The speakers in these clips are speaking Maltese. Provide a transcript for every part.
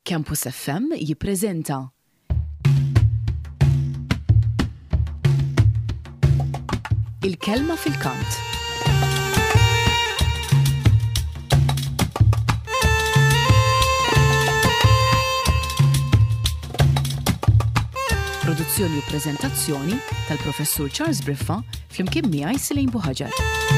Campus FM jippreżenta Il-Kelma fil-Kant. Produzzjoni u preżentazzjoni tal-Professur Charles Briffa flimkien miegħi Silejn Buħaġar.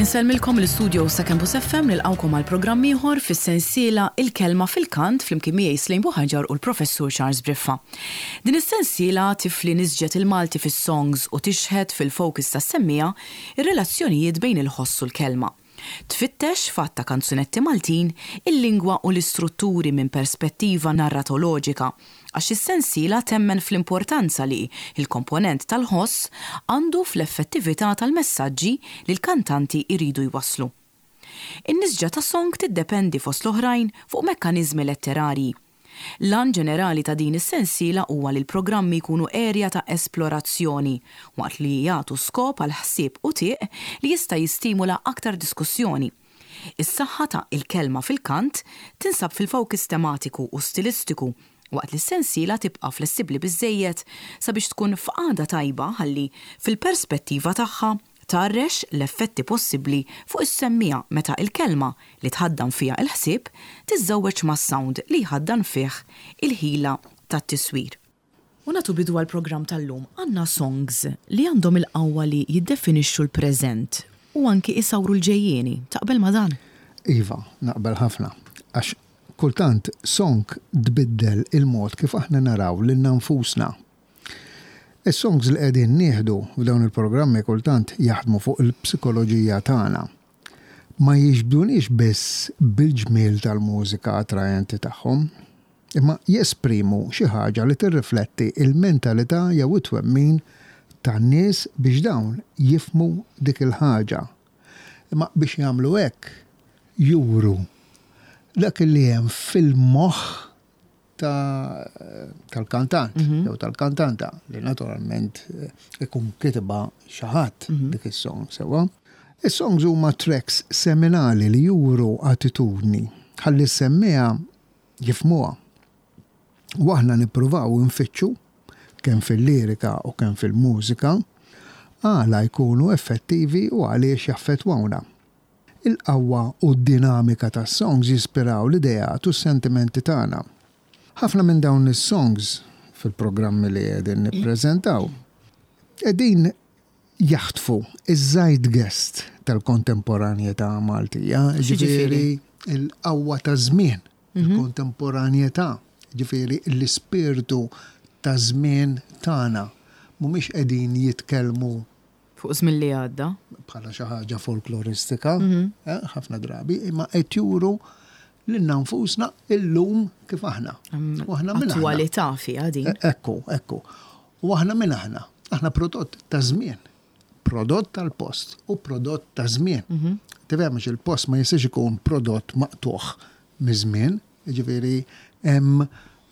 Insellmilkom l-istudio sa Campus FM nilqawkom għal programm ieħor fis-sensiela Il-Kelma fil-Kant flimkien miegħi Slejn Buħaġar u l-Professur Charles Briffa. Din is-sensiela tifli nisġet il-Malti fis-songs u tixħet fil-focus tas-semmiegħa ir-relazzjonijiet bejn il-ħoss u l-kelma. Tfittex, f'għadd ta' kanzunetti Maltin, il-lingwa u l-istrutturi minn perspettiva narratoloġika, għax is-sensiela temmen fl-importanza li l-komponent tal-ħoss għandu fl-effettività tal-messaġġi li l-kantanti jridu jwasslu. In-nisġa ta' song tiddependi fost l-oħrajn fuq mekkaniżmi letterarji. L-għan ġenerali ta' din is-sensiela huwa li l-programmi jkunu erja ta' esplorazzjoni, waqt li jagħtu skop għal ħsieb u tieq li jista' jistimula aktar diskussjoni. Is-saħħa ta' Il-Kelma fil-Kant tinsab fil-fowkis tematiku u stilistiku, waqt li s-sensiela tibqa' flessibbli biżżejjed sabiex tkun f'qagħda tajba ħalli, fil-perspettiva tagħha, tgħarrex l-effetti possibbli fuq is-semmiegħa meta l-kelma li tħaddan fiha l-ħsieb tiżżewweġ mas-sound li jħaddan fih il-ħila tat-tiswir. U nagħtu bidu għall-programm tal-lum. Għandna songs li għandhom il-qawwa li jiddefinixxu l-preżent u anki isawru l-ġejjieni. Taqbel ma' dan? Iva, naqbel ħafna. Għax kultant song tbiddel il-mod kif aħna naraw lilna nfusna. Is-songs li qegħdin nieħdu f'dawn il-programmi kultant jaħdmu fuq il-psikoloġija tagħna. Ma jiġbduniex biss bil-ġmiel tal-mużika attraenti tagħhom, imma jesprimu xi ħaġa li tirrifletti l-mentalità jew it-twemmin tan-nies biex dawn jifhmu dik il-ħaġa. Imma biex jagħmlu hekk juru dak li hemm fil-moħħ tal-kantant mhm. jew tal-kantanta li naturalment eh, ikun kitba xi ħadd mhm. dik is-song sewwa. Is-songs huma tracks seminali li juru attitudni ħalli semmiha jifmuha. U aħna nippruvaw nfittxu kemm fil-lirika u kemm fil-mużika għala jkunu effettivi u għaliex jaffettwawna. Il-qawwa u d-dinamika tas-songs jispiraw l-ideat u s-sentimenti tagħna. Ħafna minn dawn is-songs fil-programmi li qegħdin nippreżentaw qegħdin jaħtfu iż-zeitgeist tal-kontemporanjetà Maltija, jiġifieri l-qawwa taż-żmien, il-kontemporanjetà, jiġifieri l-ispirtu taż-żmien tagħna. Mhumiex qegħdin jitkellmu Fuq żmien li għadda. Bħala xi ħaġa folkloristika, eh, ħafna drabi, imma qed juru lilna nfusna illum kif aħna. U aħna minn Attwalità fiha din. E, ekku, ekku. U aħna minn aħna. Aħna prodott ta' żmien. Prodott tal-post u prodott ta' żmien. Mhm. Tifhem il-post ma jistax ikun prodott maqtuħ miż-żmien, Jiġifieri hemm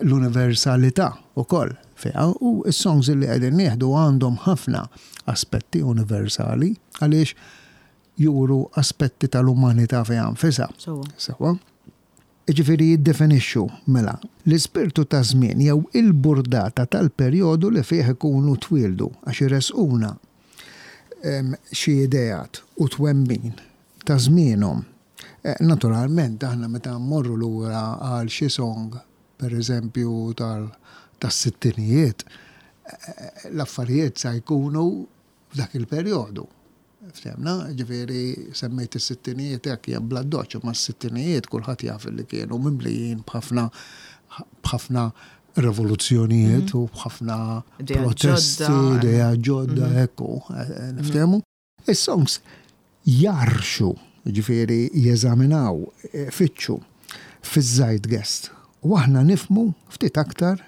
l-universalità wkoll fiha u s-songs li qegħdin nieħdu għandhom ħafna aspetti universali għaliex juru aspetti tal-umanità fiha nfisha. Sewwa. Jiġifieri jiddefinixxu mela l-ispirtu ta' żmien jew il-burdata tal-perjodu li fih ikunu twieldu għax iressquna xi ideat u twemmin ta' żmienhom. Naturalment aħna meta mmorru lura għal xi song, per eżempju tas-sittinijiet, l-affarijiet sa jkunu f'dak il-perjodu. Ftehmna? Ġifieri semmejt is-sittinijiet hekk hija bl-addoċċ, imma s-sittinijiet kulħadd jaf li kienu mimlijin b'ħafna b'ħafna revoluzzjonijiet u b'ħafna protesti, ideat ġodda, hekk hu, niftehmu. Is-songs jgħarrxu, jiġifieri jeżaminaw, ifittxu fiż-zeitgeist u aħna nifhmu ftit aktar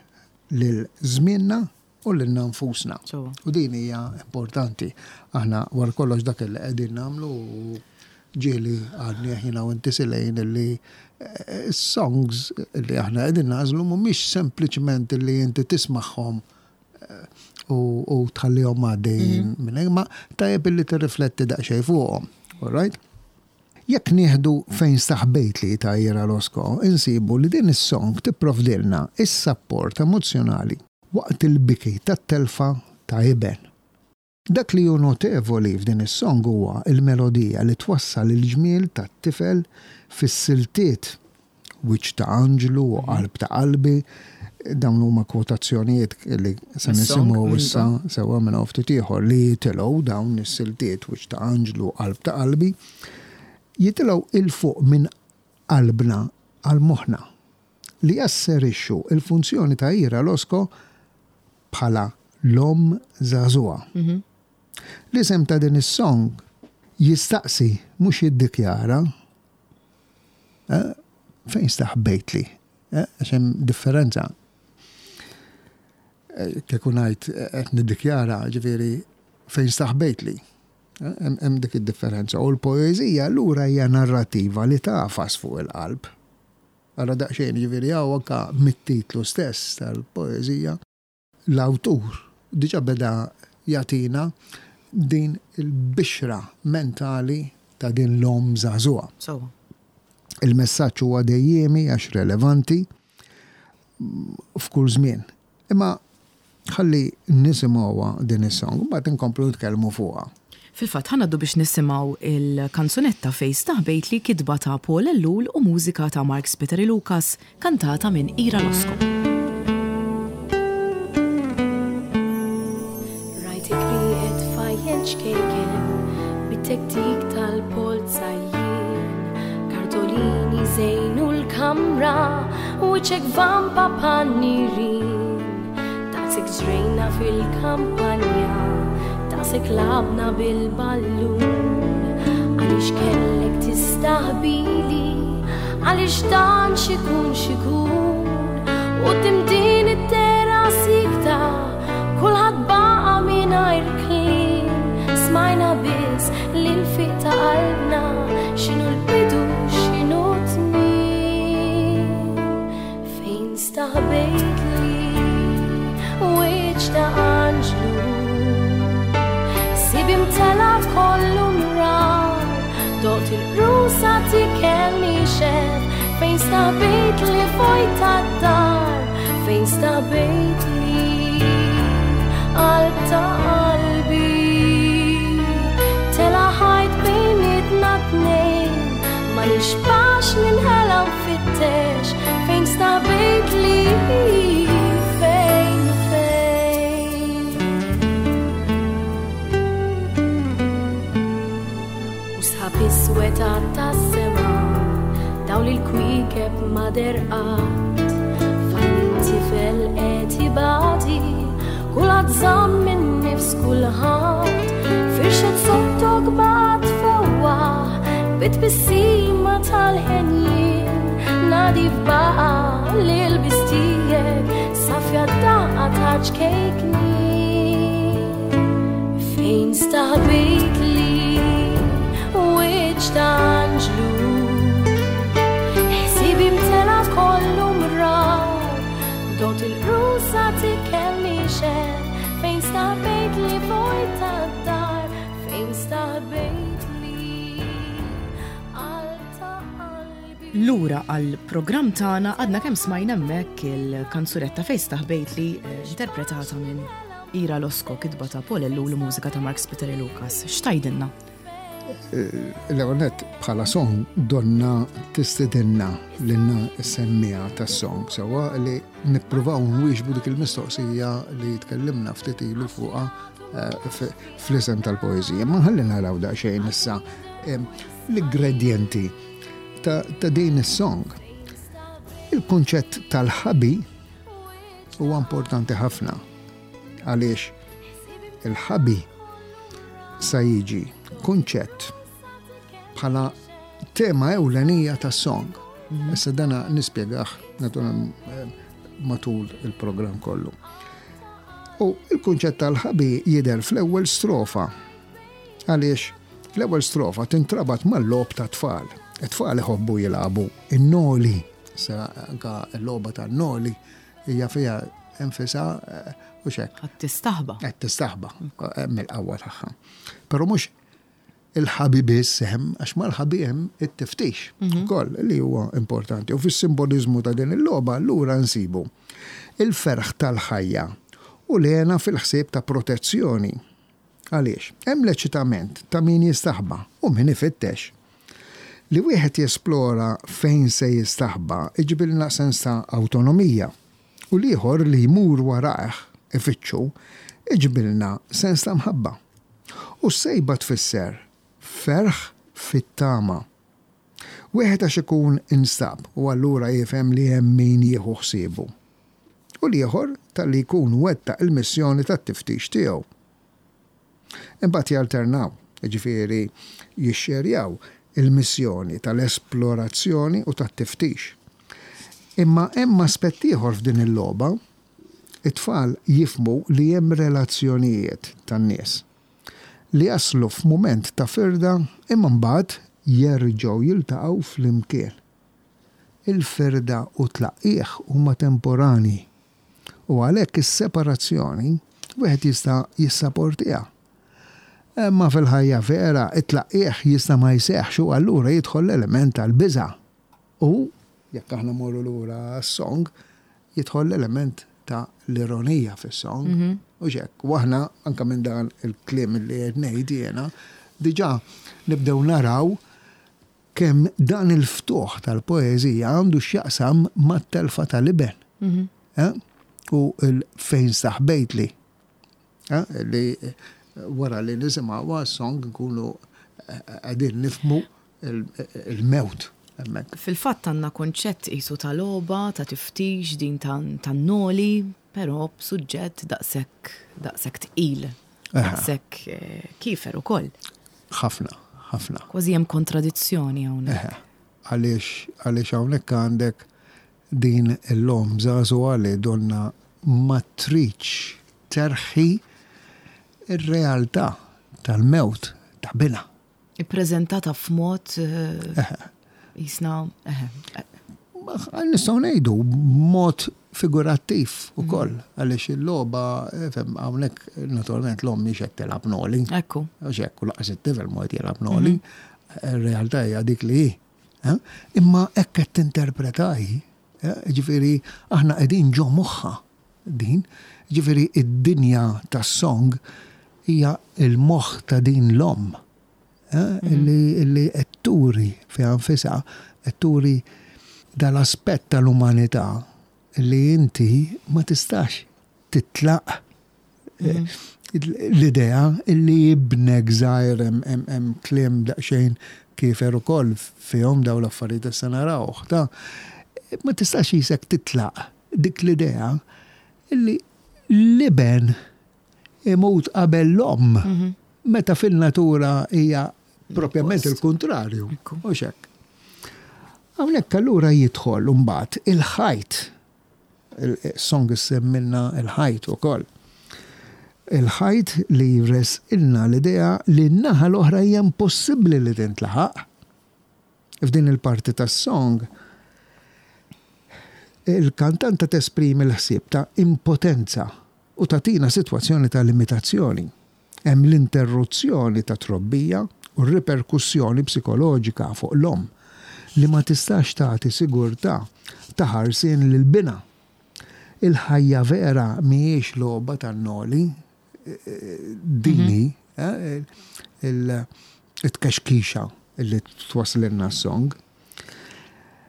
lil żmienna u lilna nfusna. U din hija importanti. Aħna wara kollox dak li qegħdin nagħmlu u. Ġieli għadni jiena u inti Silejn illi eh, songs li aħna qegħdin nagħżlu mhumiex sempliċement li inti tismagħhom eh, u tħallihom għaddejjin mhm. minn ma tajjeb illi tirrifletti daqsxejn fuqhom. All right? Jekk nieħdu Fejn Staħbejtli ta' Ira Losco, insibu li din is-song tipprovdilna s-sapport emozzjonali waqt il-biki tat-telfa ta' iben. Dak li hu notevoli f'din is-song huwa l-melodija li twassal il-ġmiel tat-tifel fis-siltiet Wiċċ ta' anġlu u Qalb ta' qalbi. Dawn huma kwotazzjonijiet li se nisimgħu issa sewwa minn hawn ftit ieħor li jitilgħu dawn is-siltiet Wiċċ ta' anġlu u Qalb ta' qalbi jitilgħu 'il fuq minn qalbna għal moħħna li jasserixxu l-funzjoni ta' Ira Losco bħala l-omm żagħżugħa. L-isem ta' din is-song jistaqsi mhux jiddikjara eh, fejn staħbejtli, eh, għax hemm differenza. Eh, kieku ngħid qed niddikjara, ġifieri fejn staħbejtli. Hemm dik id-differenza. U l-poeżija allura hija narrativa li tagħfas fuq il-qalb. Ara daqsxejn, jiġifieri hawn anke mit-titlu stess tal-poeżija, l-awtur diġà beda jagħtina din il-bixra mentali ta' din l-omm żagħżugħa. Sewwa. Il-messaġġ huwa dejjiemi għax relevanti f'kull żmien. Imma ħalli nisimgħuha din is-song, mbagħad inkomplu nitkellmu fuqha. Fil-fatt, ħa ngħaddu biex nisimgħu l-kanzunetta Fejn Staħbejtli kitba ta' Paul Ellul u mużika ta' Mark Spiteri Lucas, kantata minn Ira Losco. Rajtek rieqed tfajjel ċkejken bit-tektik tal-polza jien. Kartolini żejnu l-kamra wiċċek vampa pannirin. Daqsek ġrejna fil-kampanja, daqsek labna bil-ballun. Għaliex kellek tistaħbili, għaliex dan xikun xikun. U din it-tera sikta, kulħadd baqa' mingħajr kliem. Smajna biss l-infiq ta' qalbna, x'inhu l-bidu, x'inhu t-tmiem. Fejn staħbejtli wiċċ ta' anġlu Sibi mtela kollu mrar Dot il-qrusa tikel nixef Fejn staħbejtli vojta d-dar Fejn staħbejtli qalb ta' qalbi Tela ħajt bejnietna tnejn Ma nixbax ninħela nfittex fejn stabejt li fejn u fejn. U sħab iswed tas-sema dawl il-kwiekeb ma derqat Fejn tifel qed ibati kulħadd żamm min-nifs kulħadd Firxet sottok baqgħet fewwaħ bit-tbissima tal-ħenjin Nadif baqa' lil-bistijek safja d-daqqa ta' ċkejknin Fejn staħbejtli wiċċ ta' anġlu Ħsibi mtela kollu mrar Dot il-qrusa tikel nixef Fejn staħbejtli vojta d-dar Fejn staħbejtli qalb ta' qalbi Lura għall-programm tagħna għadna kemm smajna hemmhekk il-kanzunetta Fejn Staħbejtli interpretata minn Ira Losco, kitba ta' Paul Ellul u mużika ta' Mark Spiteri Lucas. X'tgħidilna? L-ewwel nett bħala song donna tistedinna lilna s-semmiegħa tas-song sewwa li nippruvaw nwieġbu dik il-mistoqsija li tkellimna ftit ilu fuqha fl-isem tal-poeżija. Ma ħalli naraw daqsxejn issa l-ingredjenti ta' din is-song. Il-kunċett tal-ħabi huwa importanti ħafna għaliex il-ħabi sa jiġi kunċett bħala tema ewlenija tas-song. Mhm. Issa dana nispjegah eh, matul il-programm kollu. U il-kunċett tal-ħabi jidher fl-ewwel strofa. Għaliex? L-ewwel strofa tintrabat mal-logħob tat-tfal. It-tfal iħobbu jilagħbu in-noli. Issa anka l-logħba tan-noli hija fiha nfisha eh, u xek. Qed tistaħba. Qed tistaħba eh, mill-qawwa tagħha. Però mhux il-ħabi biss hemm, għax mal-ħabi hemm it-tiftix mhm. ukoll li huwa importanti. U fis-simboliżmu ta' din il-logħba allura nsibu il-ferħ tal-ħajja u l-hena fil-ħsieb ta' protezzjoni. Għaliex? Hemm l-eċitament ta' min jistaħba u min ifittex. Li wieħed jesplora fejn se jistaħba iġibilna sens ta' awtonomija u l-ieħor li jmur warajh ifittxu iġibilna sens ta' mħabba. U s-sejba tfisser ferħ fit-tama. Wieħed għax ikun instab u allura jifhem li hemm min jieħu ħsiebu. U l-ieħor talli jkun wettaq il-missjoni tat-tiftix tiegħu. Imbagħad jalternaw, jiġifieri jixxerjaw il-missjoni tal-esplorazzjoni u tat-tiftix. Imma hemm aspett ieħor f'din il-logħba, it-tfal jifhmu li hemm relazzjonijiet tan-nies li jaslu f'mument ta' firda imma mbagħad jerġgħu jiltaqgħu flimkien. Il-firda u t-tlaqqigħ huma temporanji u għalhekk is-separazzjoni wieħed jista' jissaportiha. Imma fil-ħajja vera it-tlaqqigħ jista' ma jseħħx u allura jidħol l-element tal-biża' u, jekk aħna mmorru lura għas-song, jidħol l-element ta' l-ironija fis-song. Hux hekk? U aħna anke minn dan il-kliem li qed ngħid jiena, diġà nibdew naraw kemm dan il-ftuħ tal-poeżija għandu x'jaqsam mat-telfa tal-iben. Eh? U fejn staħbejtli. Eh? Li wara li nisimgħuha s-song nkunu eh, qegħdin nifhmu il-mewt hemmhekk. Fil-fatt għandna kunċett qisu ta' logħba, ta' tiftix, din tan-noli, però b'suġġett daqshekk daqshekk tqil, daqshekk eh, kiefer ukoll. Ħafna, ħafna. Kważi hemm kontradizzjoni hawnhekk. Għaliex għaliex hawnhekk għandek din l-omm żagħżugħa li donna ma tridx terħi r-realtà tal-mewt ta' binha. Ippreżentata f'mod jisna. Nistgħu ngħidu b'mod figurattiv ukoll għaliex il-logħba fem hawnhekk naturalment l-omm mhix qed tilgħab noli. Ekku. Għax hekk u laqas it-tifel mhu qed jilgħab noli. Ir-realtà hija dik li hi. Imma hekk qed tinterpreta hi. Ġifieri aħna qegħdin ġo moħħha din. Ġifieri id-dinja tas-song hija l-moħħ ta' din l-omm illi qed turi fiha nfisha, qed turi dal-aspett tal-umanità li inti ma tistax titlaq l-idea illi ibnek żgħir hemm kliem daqsxejn kiefer ukoll fihom dawn l-affarijiet issa narawh ta' ma tistax qisek titlaq dik l-idea illi l-iben imut qabel l-omm meta fin-natura hija propjament il-kuntrarju. Mhux hekk. Hawnhekk allura jidħol imbagħad il-ħajt Il-song issemmilna l-ħajt ukoll. Il-ħajt li jressqilna l-idea li n-naħa l-oħra hija impossibbli li tintlaħaq. F'din il-parti tas-song, il-kantanta tesprimi l-ħsieb ta' impotenza u tagħtina sitwazzjoni ta' limitazzjoni. Hemm l-interruzzjoni ta' trobbija u r-riperkussjoni psikoloġika fuq l-omm li ma tistax tagħti sigurtà ta' ħarsien lil binha. Il-ħajja vera mhijiex logħba tan-noli, din hi it-tkexkixa li twasslilna s-song.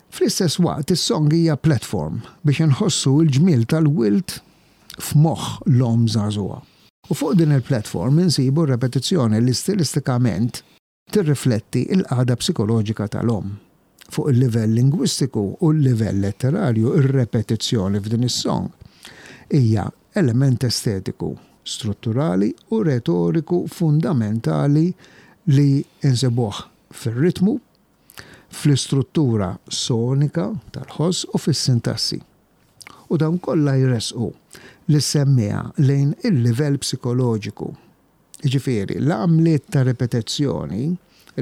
Fl-istess waqt is-song hija platform biex inħossu l-ġmiel tal-wild f'moħħ l-omm żagħżugħa. U fuq din il-platform insibu r-repetizzjoni li stilistikament tirrifletti l-qagħda psikoloġika tal-omm. Fuq il-livell lingwistiku u l-livell letterarju r-repetizzjoni f'din is-song hija element estetiku, strutturali u retoriku fundamentali li nsibuh fir-ritmu, fl-istruttura sonika tal-ħoss u fis-sintassi. U dawn kollha jressqu lis-semmiegħa lejn il-livell psikoloġiku. Jiġifieri, l-għamliet ta' ripetizzjoni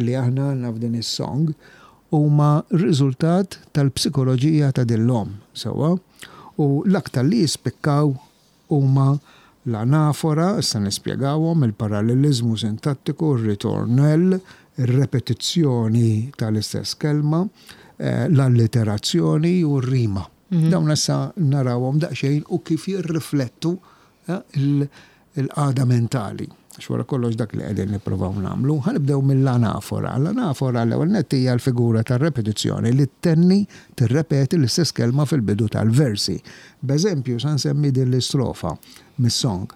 li aħna għandna f'din is-song huma riżultat tal-psikoloġija ta' din l-omm, sewwa? U l-aktar li jispikkaw huma l-anafora, issa nispjegawhom, il-paralleliżmu sintattiku, ir-ritornell, ir-repetizzjoni tal-istess kelma, l-alliterazzjoni u r-rima. Dawn issa narawhom daqsxejn u kif jirriflettu il-qagħda mentali. Għax wara kollox dak li qegħdin nippruvaw nagħmlu. Ħa nibdew mill-anafora. L-anafora l-ewwel nett hija l-figura tar-repetizzjoni li ttenni, tirrepeti l-istess kelma fil-bidu tal-versi. B'eżempju sa nsemmi din l-istrofa mis-song.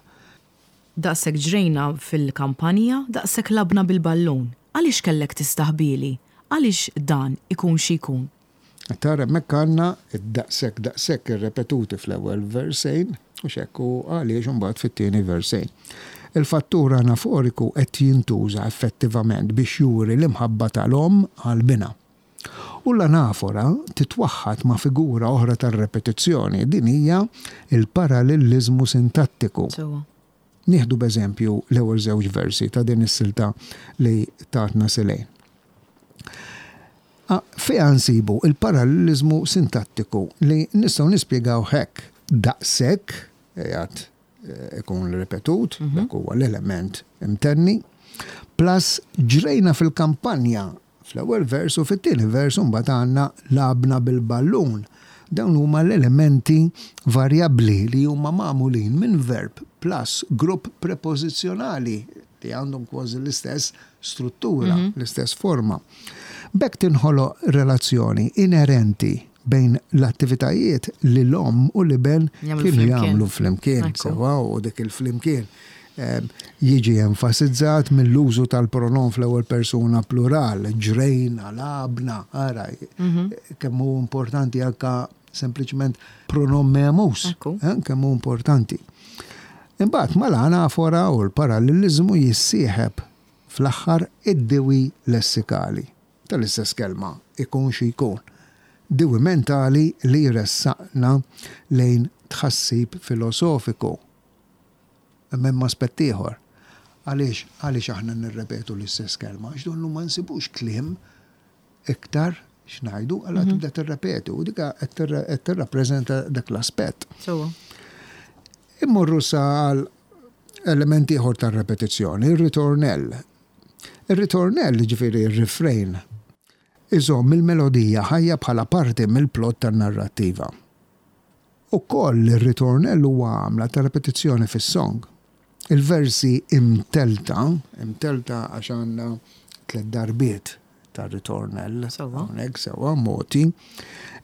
Daqshekk ġrejna fil-kampanja, daqshekk lgħabna bil-ballun. Għaliex kellek tistaħbieli? Għaliex dan ikun xi jkun? Tara hemmhekk għandna d-daqshekk daqshekk irrepetuti fl-ewwel versejn, hux hekk, u għaliex imbagħad fit-tieni versejn. Il-fattur anaforiku qed jintuża effettivament biex juri l-imħabba tal-omm għal binha. U l-anafora titwaħħad ma' figura oħra tar-repetizzjoni, din hija l-paralelliżmu sintattiku. Nieħdu b'eżempju l-ewwel żewġ versi ta' din is-silta li tatna Silejn. Fiha nsibu l-paralleliżmu sintattiku li nistgħu nispjegawh hekk, daqshekk qiegħed ikun ripetut, dak huwa l-element imtenni, plus ġrejna fil-kampanja Fl-ewwel vers u fit-tieni vers imbagħad għandna lgħabna bil-ballun. Dawn huma l-elementi varjabbli li huma magħmulin minn verb plus grupp prepożizzjonali li għandhom kważi l-istess struttura, l-istess forma. B'hekk tinħoloq relazzjoni inerenti bejn l-attivitajiet li l-omm u l-iben kienu jagħmlu flimkien. Sewwa u dik il-flimkien jiġi enfasizzat mill-użu tal-pronom fl-ewwel persuna plural, ġrejna, lgħabna, ara, kemm hu importanti anka sempliċement pronom memus, kemm hu importanti. Imbagħad mal-anafora u l-paralleliżmu jissieħeb fl-aħħar id-diwi lessikali tal-istess kelma, ikun xi jkun, diwi mentali li jressaqna lejn tħassib filosofiku. Imma hemm aspett ieħor. Għaliex, għaliex aħna nirrepetu l-istess kelma? Għax donnu ma nsibux kliem iktar x'ngħidu, allura tibda tirrepeti u dik qed tirrappreżenta dak l-aspett. Sewwa. Immorru sa għal element ieħor tar-repetizzjoni, ir-ritornell. Ir-ritornell, jiġifieri r-refrain, iżomm il-melodija ħajja bħala parti mill-plott tan-narrattiva. Ukoll ir-ritornell huwa għamla ta' repetizzjoni fis-song. Il-versi imtellta, imtellta għax għandna tlett darbiet ta' ritornell hawnhekk sewwa mogħti,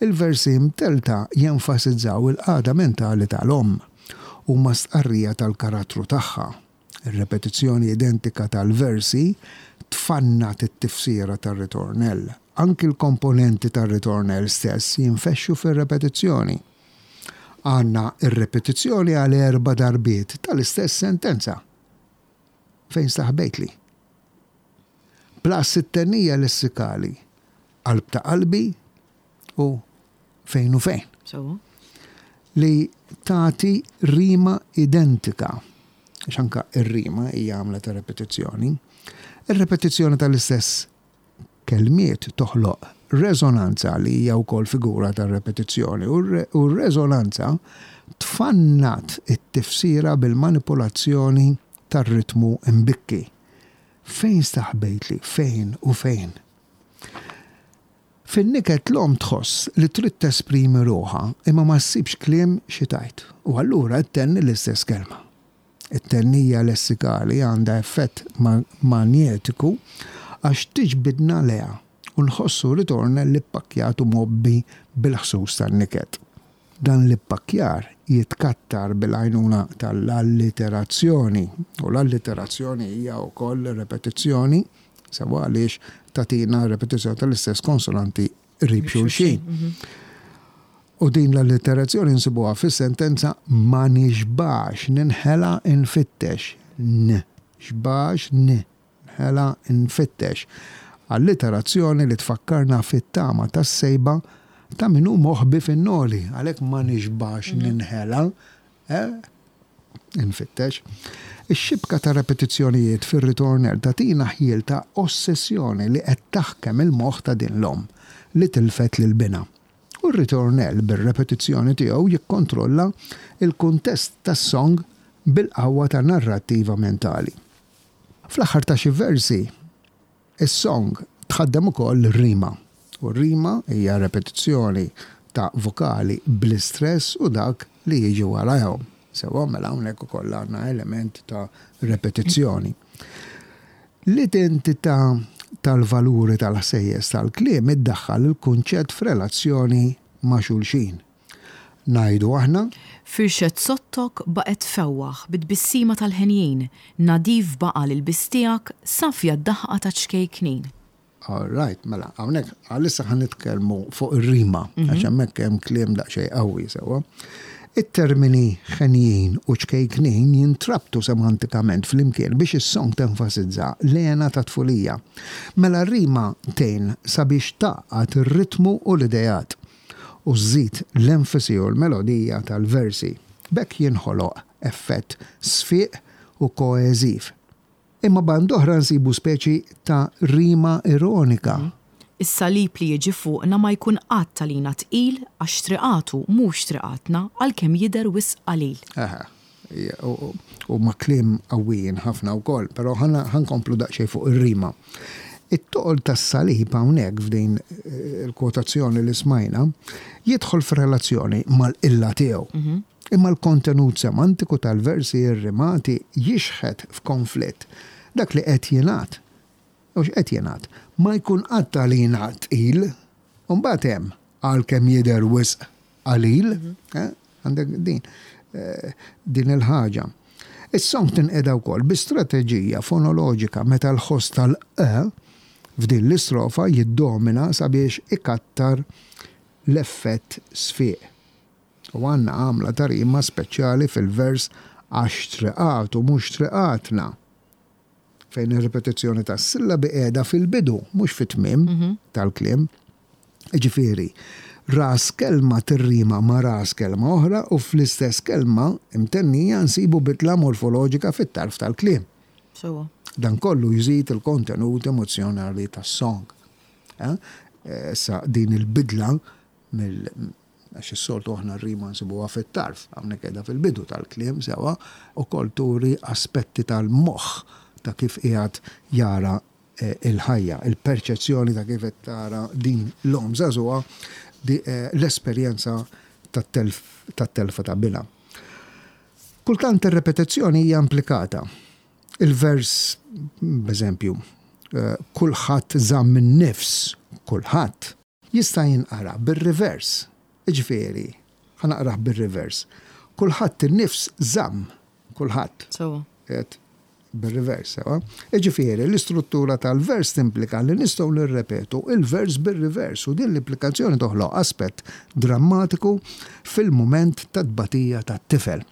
il-versi imtellta jenfasizzaw il-qagħda mentali tal-omm. Huma stqarrija tal-karattru tagħha. Ir-repetizzjoni identika tal-versi tfannad it-tifsira tar-ritornell. Anki l-komponenti tar-ritornell stess jinfexxu fir-repetizzjoni. Għandna r-repetizzjoni għal erba' darbiet tal-istess sentenza. Fejn staħbejtli? Plus it-tennija lessikali, qalb ta' qalbi u fejn u fejn. Sewwa. Li tagħti rima identika. Għax anka r-rima hija għamla ta' repetizzjoni. Ir-repetizzjoni tal-istess kelmiet toħloq reżonanza li hija wkoll figura ta' repetizzjoni u r-reżonanza tfannad it-tifsira bil-manipulazzjoni tar-ritmu mbikki. Fejn staħbejtli, fejn u fejn? Fin-niket l-omm tħoss li trid tesprimi ruħha imma ma ssibx kliem xi tgħid u allura ttenni l-istess kelma. It-tennija lessikali għandha effett manjetiku għax tiġbidna lejha u nħossu ritornell ippakkjat u mgħobbi bil-ħsus tan-niket. Dan l-ippakkjar jitkattar bil-għajnuna tal-alliterazzjoni u l-alliterazzjoni hija wkoll repetizzjoni Sewwa għaliex tagħtina repetizzjoni tal-istess konsonanti qrib xulxin. U din l-allitterazzjoni nsibuha fis-sentenza ma nixbax ninħela nfittex. N, xbax n, nħela nfittex. Alliterazzjoni li tfakkarna fit-tama tas-sejba ta' min hu moħbi fin-noli, għalhekk ma nixbax ninħela. Eh? Infittex. Ix-xibka ta' repetizzjonijiet fir-ritornell tagħtina ħjiel ta' ossessjoni li qed taħkem il-moħħ ta' din l-omm li tilfet lil binha. U r-ritornell bir-repetizzjoni tiegħu jikkontrolla l-kuntest tas-song bil-qawwa ta' narrattiva mentali. Fl-aħħar ta' xi versi, is-song tħaddem ukoll rima. U r-rima hija repetizzjoni ta' vokali bl-istress u dak li jiġi warajhom. Sewwa, mela hawnhekk ukoll għandna element ta' repetizzjoni. L-identità tal-valuri tal-ħsejjes tal-kliem iddaħħal il-kunċett f'relazzjoni ma' xulxin. Ngħidu aħna. Firxet sottok baqgħet tfewwaħ bi tbissima tal-henjin, nadif baqa' l-ilbies tiegħek, safja d-daħqa taċ-ċkejknin. All right, mela, hawnhekk għalissa ħa nitkellmu fuq ir-rima, għax hemmhekk hemm kliem daqsxejn qawwi sewwa. It-termini ħenjin u ċkejknin jintrabtu semantikament flimkien biex is-song tenfasizza l-hena tat-tfulija. Mela r-rima tgħin sabiex tgħaqqad ir-ritmu u l-ideat, u żżid l-enfasi u l-melodija tal-versi. B'hekk jinħoloq effett sfiq u koeżiv. Imma band'oħra nsibu speċi ta' rima ironika. Is-salib li jiġi fuqna ma jkun qatt għalina tqil għax triqatu mhux triqatna għalkemm jidher wisq qalil. Eħe. Huma kliem qawwijin ħafna wkoll, però ħa nkomplu daqsxejn fuq ir-rima. It-toqol tas-salib hawnhekk f'din il-kwotazzjoni li smajna jidħol f'relazzjoni mal-qilla tiegħu. Imma l-kontenut semantiku tal-versi rrimati jixħet f'konflitt dak li qed jingħad. U x'qed jingħad? Ma jkun qatt għalina tqil. U mbagħad hemm għalkemm jidher wisq qalil, għandek din din il-ħaġa. Is-song tinqeda wkoll bi strateġija fonoloġika meta l-ħoss tal-q f'din l-istrofa jiddomina sabiex ikattar l-effett sfiq. U għandna għamla ta' rima speċjali fil-vers għax triqatu mhux triqatna, fejn ir-ripetizzjoni tas-sillabi qiegħda fil-bidu mhux fit-tmiem tal-kliem. Jiġifieri, ras kelma tirrima ma' ras kelma oħra u fl-istess kelma imtennija nsibu bidla morfoloġika fit-tarf tal-kliem. Sewwa. Dan kollu jżid il-kontenut emozzjonali tas-song. Issa din il-bidla mill għax is-soltu aħna r-rima nsibuha fit-tarf, hawnhekk qiegħda fil-bidu tal-kliem sewwa, ukoll turi aspetti tal-moħħ ta' kif qiegħed jara l-ħajja, il-perċezzjoni ta' kif qed tara din l-omm żagħżugħa l-esperjenza tat-telfa ta' binha. Kultant ir-repetizzjoni hija implikata. Il-vers, b'eżempju, kulħadd żamm in-nifs, kulħadd, Jista' jinqara bir-rivers, jiġifieri, ħa naqrah bir-rivers, kulħadd in-nifs żamm, kulħadd. Sewwa. Qiegħed bir-rivers, sewwa. Jiġifieri, l-istruttura tal-vers timplika li nistgħu nirrepetu l-vers bir-rivers u din l-implikazzjoni toħloq aspett drammatiku fil-mument tat-tbatija tat-tifel.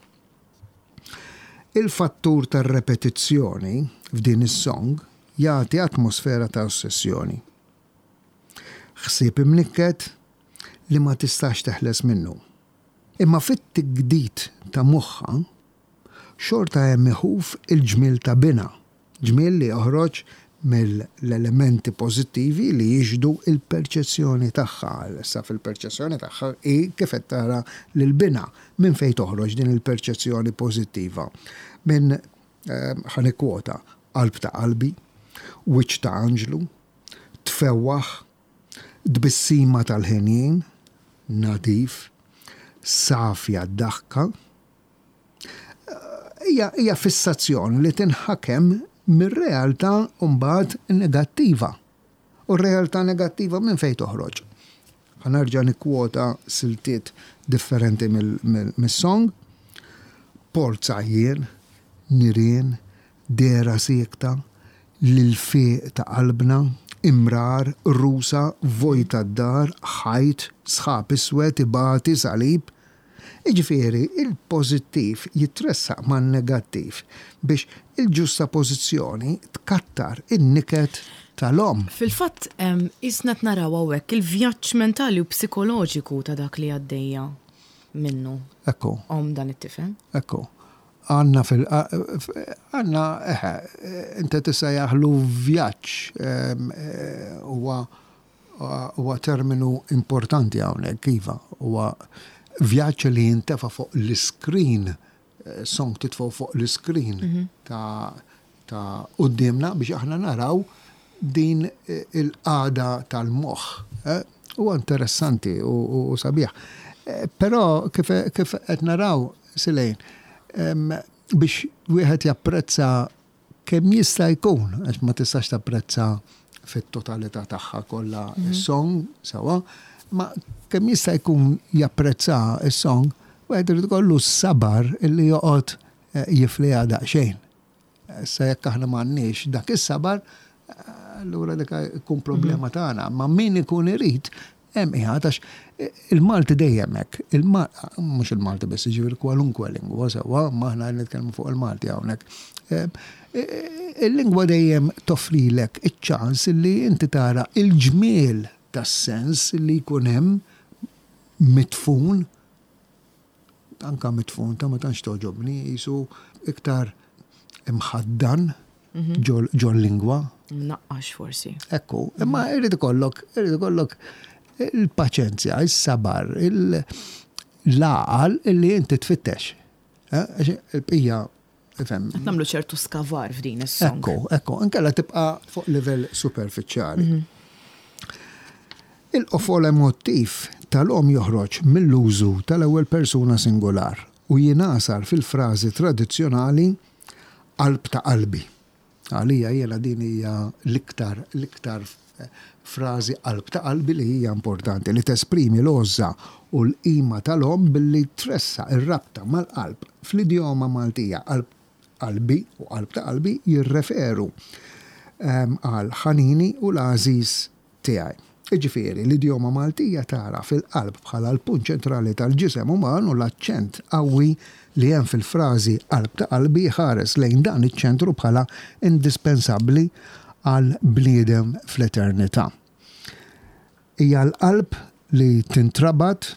Il-fattur tar-repetizzjoni f'din is-song jagħti atmosfera ta' ossessjoni. Ħsieb imnikket li ma tistax teħles minnu. Imma fit-tigdid ta' moħħha, xorta hemm iħuf il-ġmiel ta' binha, ġmiel li joħroġ mill-elementi pożittivi li jixhdu l-perċezzjoni tagħha. Issa fil-perċezzjoni tagħha hi kif qed tara lil binha. Minn fejn toħroġ din il-perċezzjoni pożittiva? Minn, ħa nikkwota, qalb ta' qalbi, wiċċ ta' anġlu, tfewwaħ, tbissima tal-henjin, nadif, safja d-daħka. Hija, hija fissazzjoni li tinħakem mir-realtà mbagħad negattiva. U r-realtà negattiva minn fejn toħroġ? Ħa nerġa' nikkwota siltiet differenti mis-song. Port għajjien, nirien, Dehra siekta, l-ilfieq ta' qalbna, imrar, qrusa, vojta d-dar, ħajt, sħab iswed, ibati, salib. Jiġifieri, il-pożittiv jitressaq man-negattiv biex il-ġustapożizzjoni tkattar in-niket tal-omm. Fil-fatt, qisna qed naraw hawnhekk il-vjaġġ mentali u psikoloġiku ta' dak li għaddejja minnu Ekku. omm dan it-tifel. Ekku. Għandna fil għandna eħe, inti tista' jaħlu vjaġġ huwa huwa terminu importanti hawnhekk iva, huwa vjaġġ li jintefa' fuq l-iskrin, song titfgħu fuq l-iskrin ta' ta' quddiemna biex aħna naraw din il-qagħda tal-moħħ. Huwa interessanti u sabiħ. Però kif qed naraw Silejn, biex wieħed japprezza kemm jista' jkun, għax ma tistax tapprezza fit-totalità tagħha kollha s-song sewwa, ma kemm jista' jkun japprezza s-song, wieħed irid ikollu s-sabar illi joqgħod jifliha daqsxejn. Issa jekk aħna m'għandniex dak is-sabar, allura dik ikun problema tagħna. Ma min ikun irid hemm qiegħed għax il-Malti dejjem hekk. Mhux il-Malti biss, jiġifieri kwalunkwe lingwa sewwa, ma aħna nitkellmu fuq il-Malti hawnhekk. Il-lingwa dejjem toffrilek iċ-ċans li inti tara il-ġmiel tas-sens li jkun hemm midfun anka midfun ta' ma tantx togħġobni, qisu iktar imħaddan ġol-lingwa. Mnaqqax forsi. Ekku, imma irid ikollok, irid ikollok il-paċenzja, is-sabar, l-għaqal illi inti tfittex. Eh, il-bqija Ifhem. Qed nagħmlu ċertu skavar f'din is-song. Ekku, ekku, inkella tibqa' fuq livell superfiċjali. Mhm. Il-qofol emottiv tal-omm joħroġ mill-użu tal-ewwel persuna singular u jingħasar fil-frażi tradizzjonali qalb ta' qalbi. Għalija jiena din hija l-iktar l-iktar frażi qalb ta' qalbi li hija importanti, li tesprimi l-għożża u l-qima tal-omm billi tressaq ir-rabta mal-qalb. Fl-idjoma Maltija qalb qalbi u qalb ta' qalbi jirreferu għal ħanini u l-għażiż tiegħi. Jiġifieri, l-idjoma Maltija tagħraf il-qalb bħala l-punt ċentrali tal-ġisem uman u l-aċċent qawwi li hemm fil-frażi qalb ta' qalbi jħares lejn dan iċ-ċentru bħala indispensabbli għall-bniedem fl-eternità. Hija l-qalb li tintrabat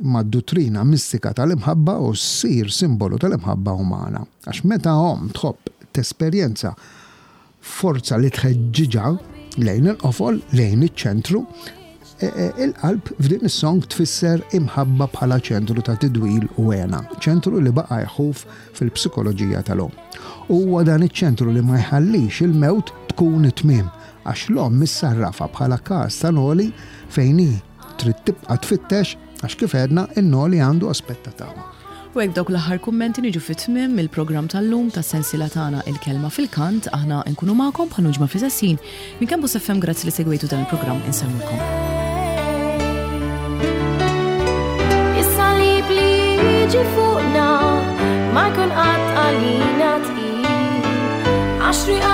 mad-duttrina mistika tal-imħabba u ssir simbolu tal-imħabba umana. Għax meta omm tħobb tesperjenza forza li tħeġġiġha lejn il-qofol, lejn iċ-ċentru, e, e, il-qalb f'din is-song tfisser imħabba bħala ċentru ta' tidwil u għena, ċentru li baqa' jħuf fil-psikoloġija tal-omm. U huwa dan iċ-ċentru li ma jħallix il-mewt tkun it-tmiem, għax l-omm issarrafha bħala każ ta' noli fejn hi Trid tibqa' tfittex għax kif għedna in-noli għandu aspett ta' tama. U hekk b'dawk l-aħħar kummenti niġu fi tmiem il-programm tal-lum tas-sensiela tagħna Il-Kelma fil-Kant. Aħna nkunu magħkom bħal ġimgħa fl-istess ħin. Minn Campus FM grazzi li segwejtu dan il-programm insellmilkom. Is-salib li jiġi fuqna ma jkun qatt għalina tqil. Għax.